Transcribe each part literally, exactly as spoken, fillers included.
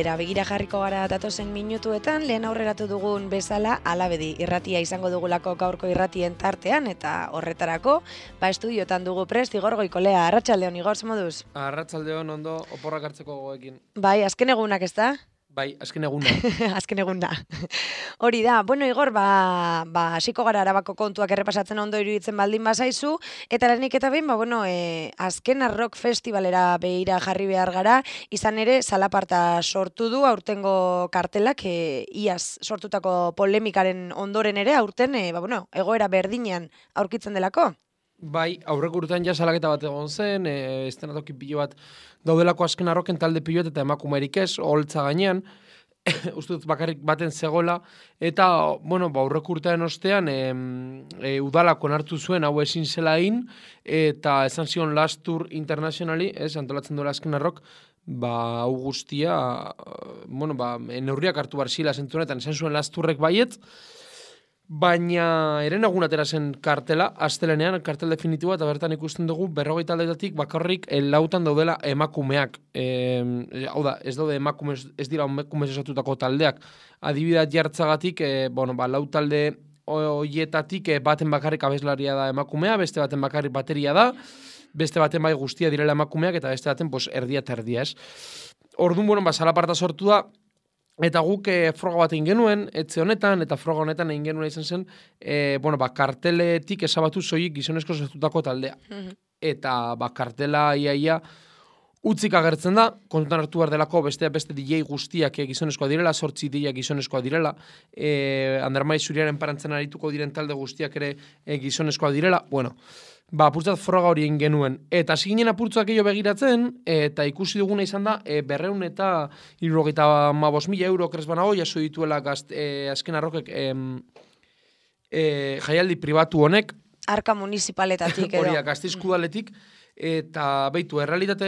festivalera begira jarriko gara datozen minutuetan, lehen aurreratu dugun bezala Alabedi irratia izango dugulako gaurko irratien tartean, eta horretarako, ba estudiotan dugu prest, Igor Goikolea. Arratsaldeon, Igor, ze moduz? Arratsaldeon, ondo, oporrak hartzeko gogoekin. Bai, azken egunak ez da? Bai, azken eguna. azken eguna. Hori da, bueno, Igor, ba, ba, hasiko gara Arabako kontuak errepasatzen ondo iruditzen baldin bazaizu, eta lehenik eta behin, ba, bueno, e, azken Rock Festivalera behira jarri behar gara, izan ere, zalaparta sortu du, aurtengo kartelak, e, iaz sortutako polemikaren ondoren ere, aurten, e, ba, bueno, egoera berdinean aurkitzen delako. Bai, aurreko urtean ja salaketa bat egon zen, e, estenatoki pilo bat daudelako azken arroken talde piloet eta emakumerik ez, holtza gainean, uste dut bakarrik baten zegoela, eta, bueno, ba, aurreko urtean ostean, e, e, udalako hartu zuen hau ezin zela egin, eta esan zion Last Tour Internationali, ez, antolatzen duela azken arrok, ba, hau guztia, bueno, ba, neurriak hartu bar zila zentunetan, esan zuen Last Tourrek baiet, baina eren egun atera zen kartela, astelenean, kartel definitiboa, eta bertan ikusten dugu berrogeita aldeetatik bakarrik lautan daudela emakumeak. E, hau da, ez daude emakume, ez dira emakume esatutako taldeak. Adibidea jartzagatik, e, bueno, ba, lau talde hoietatik e, baten bakarrik abeslaria da emakumea, beste baten bakarrik bateria da, beste baten bai guztia direla emakumeak, eta beste baten pues, erdia eta erdia, ez. Orduan, bueno, ba, zalaparta sortu da, eta guk e, froga bat egin genuen, etxe honetan, eta froga honetan egin genuen izan zen, e, bueno, ba, karteletik esabatu zoik gizonezko sortutako taldea. Mm-hmm. Eta ba, kartela iaia utzik agertzen da, kontutan hartu behar delako beste beste D J guztiak e, gizonezkoa direla, sortzi D J gizonezkoa direla, e, Andermai Zuriaren parantzen arituko diren talde guztiak ere e, gizonezkoa direla, bueno, ba, apurtzat froga hori egin genuen. Eta ziginen apurtzak gehiago begiratzen, eta ikusi duguna izan da, e, berreun eta hirurogeita hamabost mila euro kresbanago, jaso dituela gazt, e, azken arrokek e, e, jaialdi pribatu honek. Arka municipaletatik edo. Hori, Gasteizkudaletik, eta beitu, errealitate,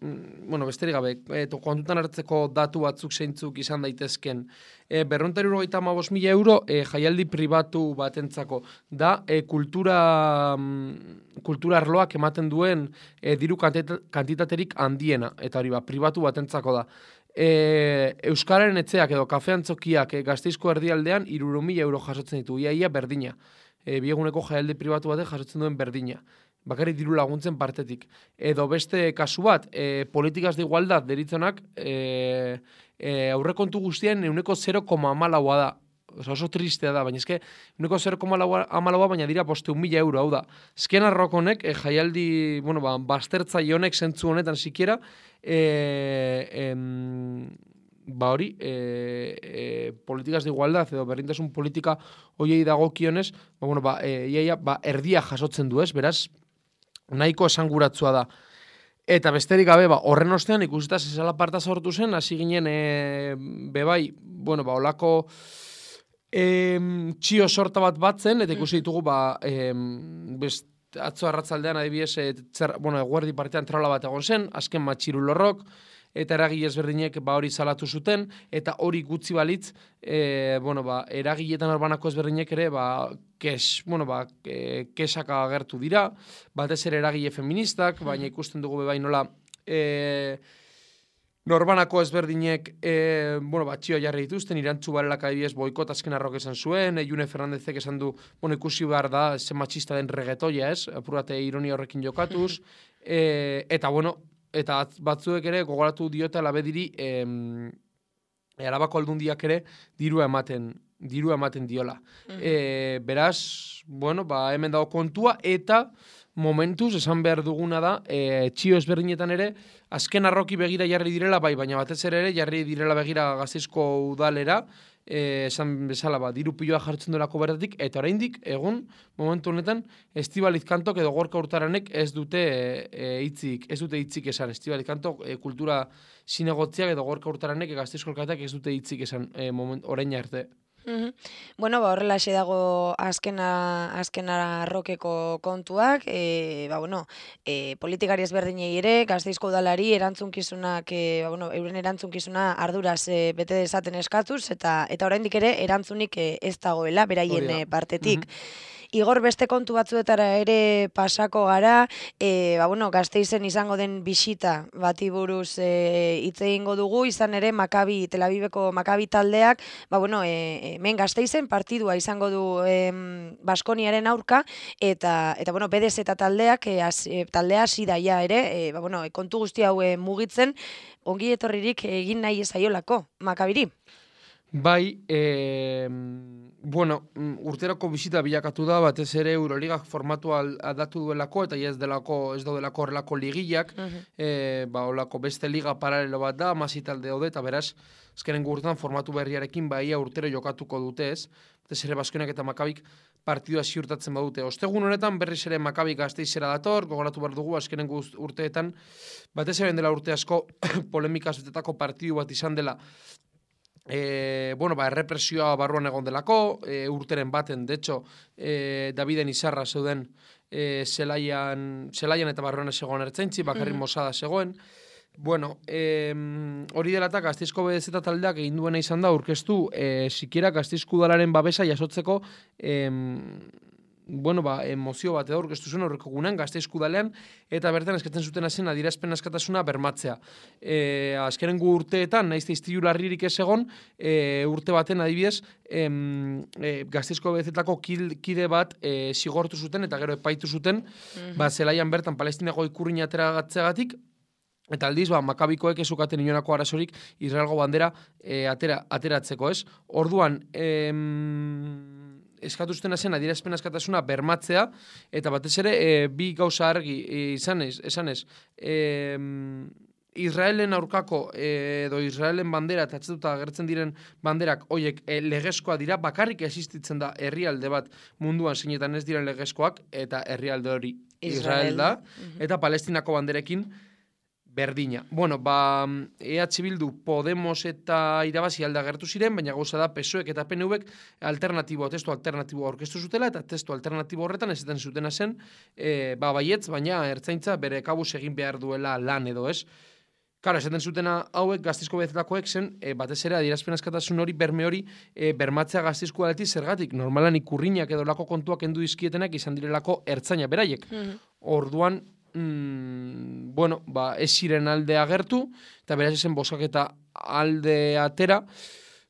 bueno, besterik gabe, e, kontutan hartzeko datu batzuk zeintzuk izan daitezken, e, berreun eta hirurogeita hamabost mila euro e, jaialdi pribatu batentzako da, e, kultura, kultura arloak ematen duen e, diru kantitaterik handiena, eta hori ba, pribatu batentzako da. E, Euskararen etxeak edo kafeantzokiak e, Gasteizko erdialdean hirurehun mila euro jasotzen ditu, ia ia berdina. E, bieguneko jaialdi pribatu batek jasotzen duen berdina. Bakarrik diru laguntzen partetik. Edo beste kasu bat, e, politikaz de igualdad deritzonak, e, e, aurrekontu guztien euneko zero koma hamalaua da. Oso, oso tristea da, baina eske euneko zero koma hamalaua baina dira bosteun mila euro, hau da. Ezken arrokonek, e, jaialdi, bueno, ba, bastertzai honek zentzu honetan sikiera, e, em, ba hori, e, e, politikaz de igualdad edo berdintasun politika hoiei dagokionez, ba, bueno, ba, e, iaia, ba, erdia jasotzen du ez, beraz, nahiko esanguratsua da. Eta besterik gabe, ba, horren ostean ikusita zezala parta sortu zen, hasi ginen, e, bebai, bueno, ba, olako e, txio sorta bat batzen, eta ikusi ditugu, ba, e, best, atzo arratzaldean adibidez, e, tzer, bueno, eguerdi partean traula bat egon zen, azken matxiru lorrok, eta eragile ezberdinek ba hori salatu zuten, eta hori gutxi balitz, e, bueno, ba, eragiletan urbanako ezberdinek ere, ba, kes, bueno, ba, e, kesaka agertu dira, batez ere eragile feministak, baina ikusten dugu bebai nola, e, norbanako ezberdinek, e, bueno, ba, txioa jarri dituzten, irantzu barelak adibidez boikot azken arrok esan zuen, e, June Fernandezek esan du, bueno, ikusi behar da, zen matxista den regetoia, ez, apurate ironia horrekin jokatuz, e, eta, bueno, eta batzuek ere gogoratu diote alabediri em, Arabako aldundiak ere dirua ematen dirua ematen diola. Mm-hmm. E, beraz, bueno, ba, hemen dago kontua, eta momentuz esan behar duguna da, e, txio ezberdinetan ere, azken arroki begira jarri direla, bai, baina batez ere ere jarri direla begira Gasteizko udalera, e, esan bezala, ba, diru piloa jartzen delako bertatik, eta oraindik egun, momentu honetan, Estibaliz Kantok edo Gorka Urtaranek ez dute e, hitzik, ez dute hitzik esan. Estibaliz Kantok e, kultura zinegotziak edo Gorka Urtaranek e, Gasteizko alkateak ez dute hitzik esan e, moment, orain arte. Mm-hmm. Bueno, ba, horrela xe dago azkena, azkena arrokeko kontuak, e, ba, bueno, e, politikari ezberdinei ere, Gasteizko udalari erantzunkizunak, e, ba, bueno, euren erantzukizuna arduraz e, bete dezaten eskatuz, eta eta oraindik ere erantzunik e, ez dagoela, beraien e, partetik. Mm-hmm. Igor, beste kontu batzuetara ere pasako gara, e, ba, bueno, Gasteizen izango den bisita bati buruz e, hitz egingo dugu, izan ere Makabi, Tel Aviveko Makabi taldeak, ba, bueno, e, hemen Gasteizen partidua izango du e, Baskoniaren aurka, eta, eta bueno, B D Z taldeak, e, az, e, taldea hasi daia ere, e, ba, bueno, kontu guzti hau e, mugitzen, ongi etorririk egin nahi ezaiolako Makabiri. Bai, e, bueno, urteroko bisita bilakatu da, batez ere Euroligak formatua aldatu duelako, eta ez delako, ez daudelako horrelako ligillak, uh -huh. e, ba, olako beste liga paralelo bat da, masi talde daude, eta beraz, azkenen gurtan formatu berriarekin baia urtero jokatuko dute ez, batez ere Baskoniak eta Makabik partidua ziurtatzen badute. Ostegun honetan berriz ere Makabik Gasteizera dator, gogoratu behar dugu azkenen urteetan, batez ere dela urte asko polemika zutetako partidu bat izan dela, E, bueno, ba, errepresioa barruan egon delako, e, urteren baten, de hecho, e, Daviden Izarra zeuden e, zelaian, zelaian eta barruan zegoen ertzaintzi, bakarrik mm-hmm. Mosada zegoen. Bueno, e, hori dela eta Gasteizko B D Z taldeak egin duena izan da, aurkeztu, e, sikiera Gasteizko udalaren babesa jasotzeko, e, bueno, ba, emozio bat edo aurkeztu zuen aurreko gunean, Gasteizko udalean, eta bertan eskatzen zuten zen adierazpen askatasuna bermatzea. E, azkenengo urteetan, nahiz iztilu larririk ez egon, e, urte baten adibidez, em, e, Gasteizko B D Z-tako kide bat e, zigortu zuten, eta gero epaitu zuten, mm-hmm. ba, zelaian bertan Palestinako ikurrin ateragatzeagatik, eta aldiz, ba, Makabikoek ezukaten inonako arazorik Israelgo bandera e, atera, ateratzeko, ez? Orduan, em, eskatu zuten zen adierazpen askatasuna bermatzea, eta batez ere e, bi gauza argi e, izanez, esanez, e, Israelen aurkako e, edo Israelen bandera eta atzetuta agertzen diren banderak hoiek e, legezkoa dira, bakarrik existitzen da herrialde bat munduan zeinetan ez diren legezkoak, eta herrialde hori Israel, Israel da, uh-huh. eta Palestinako banderekin berdina. Bueno, ba, E H Bildu, Podemos eta Irabazi alde agertu ziren, baina gauza da P S O ek eta P N V-ek alternatibo, testu alternatibo aurkeztu zutela, eta testu alternatibo horretan ez eten zutena zen, e, ba, baietz, baina ertzaintza bere kabuz egin behar duela lan edo, ez? Karo, esaten zutena hauek Gasteizko B D Z-takoek zen, e, batez ere adierazpen askatasun hori, berme hori, e, bermatzea Gasteizko aleti zergatik. Normalan ikurriñak edo lako kontuak endu dizkietenak izan direlako ertzaina beraiek. Mm-hmm. Orduan, Mm, bueno, ba, ez ziren alde agertu, eta beraz ezen bozkaketa alde atera.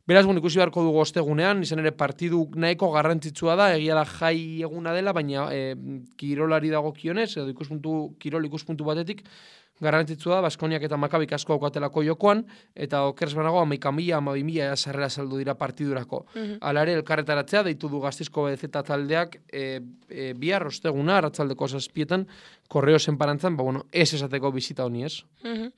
Beraz, bueno, ikusi beharko dugu ostegunean, izan ere partidu nahiko garrantzitsua da, egia da jai eguna dela, baina e, kirolari dago kionez, edo ikuspuntu, kirol ikuspuntu batetik, garrantzitsua da, Baskoniak eta Makabik asko aukatelako jokoan, eta okerz banago, amaika mila, amabi mila sarrera saldu dira partidurako. Mm-hmm. Hala ere, elkarretaratzea, deitu du Gasteizko B D Z taldeak, e, e, bihar osteguna, arratsaldeko zazpietan, korreo zenparantzan, ba, bueno, ez esateko bizita honi, ez? Mm-hmm.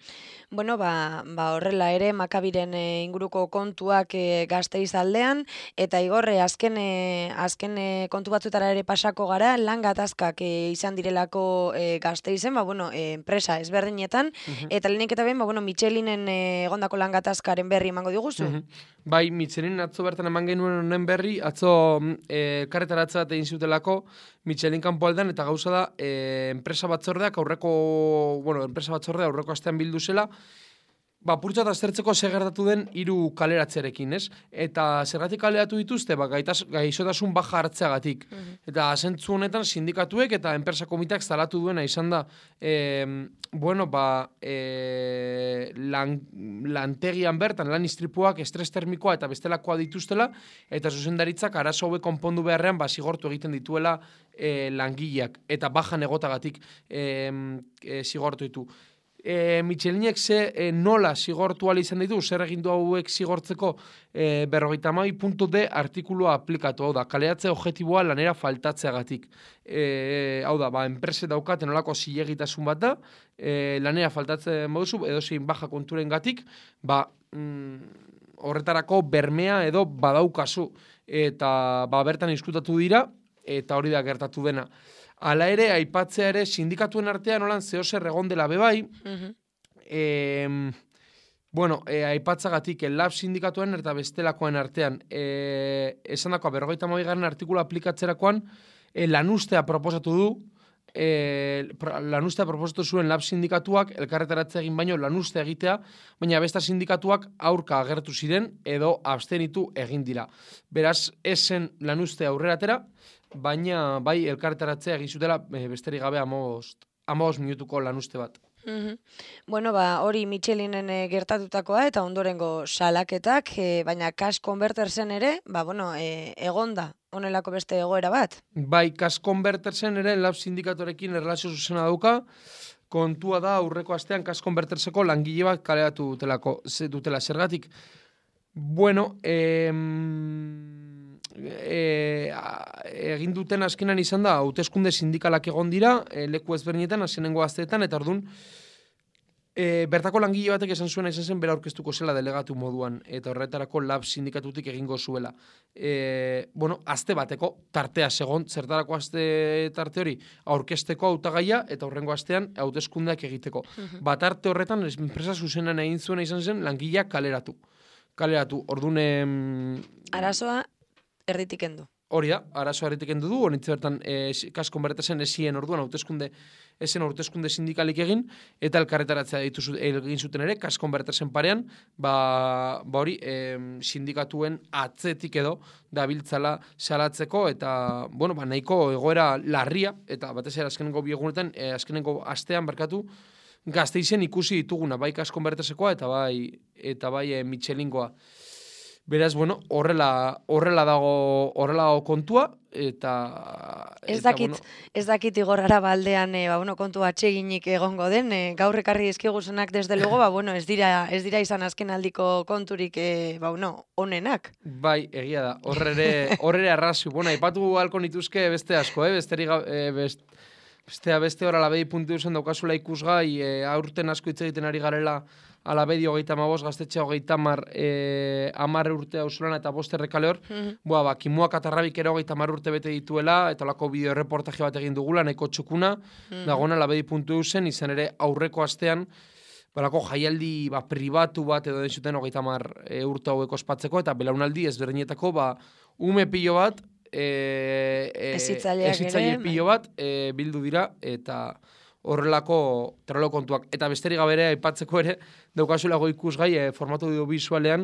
Bueno, ba, ba horrela ere, Makabiren e, inguruko kontuak e, Gasteiz aldean, eta igorre, azken, e, azken e, kontu batzutara ere pasako gara, lan gatazkak e, izan direlako e, Gasteizen, ba, bueno, e, enpresa ezberdinetan, uh-huh. eta lehenik eta behin, ba, bueno, Michelinen e, egondako lan gatazkaren berri emango diguzu? Uh-huh. Bai, Michelin atzo bertan eman genuen honen berri, atzo e, karretaratza bat egin zutelako Michelin kanpo aldean, eta gauza da, e, enpresa batzordeak aurreko, bueno, enpresa batzordea aurreko astean bildu zela, ba, purtsa eta aztertzeko segertatu den hiru kaleratzerekin, ez? Eta zergatik kaleratu dituzte, ba, gaitas, gaizotasun baja hartzeagatik. Uh-huh. Eta zentzu honetan sindikatuek eta enpresa komiteak zalatu duena izan da, e, bueno, ba, e, lan, lantegian bertan, lan istripuak, estres termikoa eta bestelakoa dituztela, eta zuzendaritzak arazo hauek konpondu beharrean, ba, zigortu egiten dituela e, langileak, eta bajan egotagatik e, e, zigortu ditu. E, Michelinek ze e, nola zigortu ala izan ditu, zer egin du hauek zigortzeko e, berrogeita hamabi puntu D artikulua aplikatu, hau da, kaleratze objektiboa lanera faltatzeagatik. E, hau da, ba, enprese daukaten nolako zilegitasun bat da, e, lanera faltatzen moduzu, edo zein baja konturen gatik, ba, mm, horretarako bermea edo badaukazu, eta ba, bertan diskutatu dira, eta hori da gertatu dena. Hala ere, aipatzea ere, sindikatuen artean holan zehozer egon dela bebai, uh-huh. e, bueno, e, aipatzagatik, lab sindikatuen eta bestelakoen artean, e, esan dakoa, berrogeita hamabi garren artikula aplikatzerakoan, e, lanustea proposatu du, e, lanustea proposatu zuen lab sindikatuak elkarretaratze egin baino lanustea egitea, baina besta sindikatuak aurka agertu ziren edo abstenitu egin dira. Beraz, esen lanustea aurrera atera, baina bai elkarretaratzea egin zutela e, besterik gabe amabost minutuko lanuste bat. Mm-hmm. Bueno, ba, hori Michelinen e, gertatutakoa eta ondorengo salaketak, e, baina Cash Convertersen ere, ba, bueno, e, egonda honelako beste egoera bat. Bai, Cash Convertersen ere lab sindikatorekin erlazio zuzena dauka, kontua da aurreko astean Cash Converterseko langile bat kaleratu dutelako, dutela zergatik. Bueno, eh, E, egin duten azkenan izan da hauteskunde sindikalak egon dira e, leku ezberdinetan azkenengo asteetan eta ordun e, bertako langile batek esan zuena izan zen bera aurkeztuko zela delegatu moduan eta horretarako lab sindikatutik egingo zuela. E, bueno, aste bateko tartea segon, zertarako aste tarte hori aurkezteko hautagaia eta horrengo astean hauteskundeak egiteko. Uh-huh. Bat arte horretan enpresa zuzenan egin zuena izan zen langileak kaleratu. Kaleratu, ordun arazoa erditik endu. Hori da, arazo erditik endu du, honitze bertan e, Cash Convertersen esien orduan hauteskunde esen hauteskunde sindikalik egin, eta elkarretaratzea ditu egin zuten ere, Cash Convertersen parean, ba, ba hori e, sindikatuen atzetik edo dabiltzala salatzeko, eta bueno, ba, nahiko egoera larria, eta batez ere azkenengo biegunetan, e, azkenengo astean barkatu, Gasteizen ikusi dituguna, bai Cash Convertersekoa, eta bai, eta bai e, Michelingoa. Beraz, bueno, horrela, horrela dago, horrela dago kontua, eta... Ez eta, dakit, bueno, ez dakit igorrara baldean, e, ba, bueno, kontu atseginik egongo den, e, gaur ekarri dizkiguzunak desde luego, ba, bueno, ez dira, ez dira izan azken aldiko konturik, e, ba, bueno, onenak. Bai, egia da, horrere, horrere arrazu, bueno, aipatu halko nituzke beste asko, eh, besteri, e, best, bestea beste hor alabedi puntu zen daukazula ikusgai, e, aurten asko hitz egiten ari garela, alabedi hogeita amabos, gaztetxea hogeita amar, e, amar urte hausulan eta bost errekale hor. Mm-hmm. Boa, ba, Kimuak atarrabik ere hogeita amar urte bete dituela, eta olako bideo reportaje bat egin dugula, nahiko txukuna, mm-hmm. dagoen alabedi puntu zen, izan ere aurreko astean, balako jaialdi ba, pribatu bat edo den zuten hogeita amar e, urte haueko ospatzeko, eta belaunaldi ezberdinetako, ba, ume pilo bat, e, e, ezitzaile pilo bat, e, bildu dira, eta... horrelako tralo kontuak. Eta besterik gabere aipatzeko ere, daukazulago ikusgai e, formatu audiovisualean,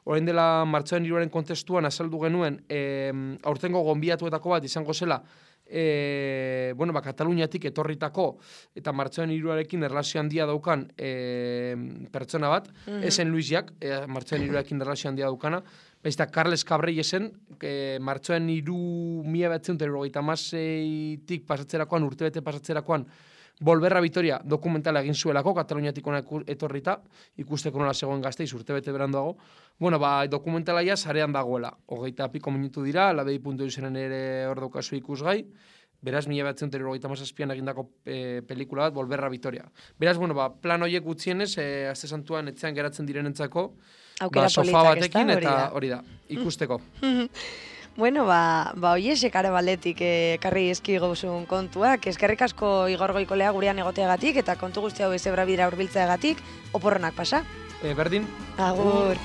orain dela martxoaren hiruaren kontestuan azaldu genuen, e, aurtengo gonbidatuetako bat izango zela, e, bueno, ba, Kataluniatik etorritako, eta martxoaren hiruarekin erlazio handia daukan e, pertsona bat, mm-hmm. esen Luisiak, e, martxoaren hiruarekin erlazio handia daukana, Baizta, Carles Cabrei esen, e, martxoaren hiru mila behatzen eta hirurogeita hamaseitik pasatzerakoan, urtebete pasatzerakoan, Volverra Vitoria dokumentala egin zuelako, Kataluniatik ona etorrita, ikusteko nola zegoen Gasteiz urtebete beranduago. Bueno, ba, dokumentala ja sarean dagoela. Hogeita piko minutu dira, labedi puntu izenen ere hor daukazu ikusgai. Beraz, mila behatzen eta hirurogeita hamazazpian egindako e, pelikula bat, Volverra Vitoria. Beraz, bueno, ba, plan horiek gutxienez, e, azte santuan etxean geratzen direnentzako, ba, sofa batekin eta hori da, ikusteko. Bueno, ba, ba oiesek are baletik ekarri eh, eski gauzun kontuak. Eskerrik asko Igor Goikolea gurean egoteagatik eta kontu guzti hau ezebra bidera hurbiltzeagatik, oporronak pasa. E, berdin. Agur.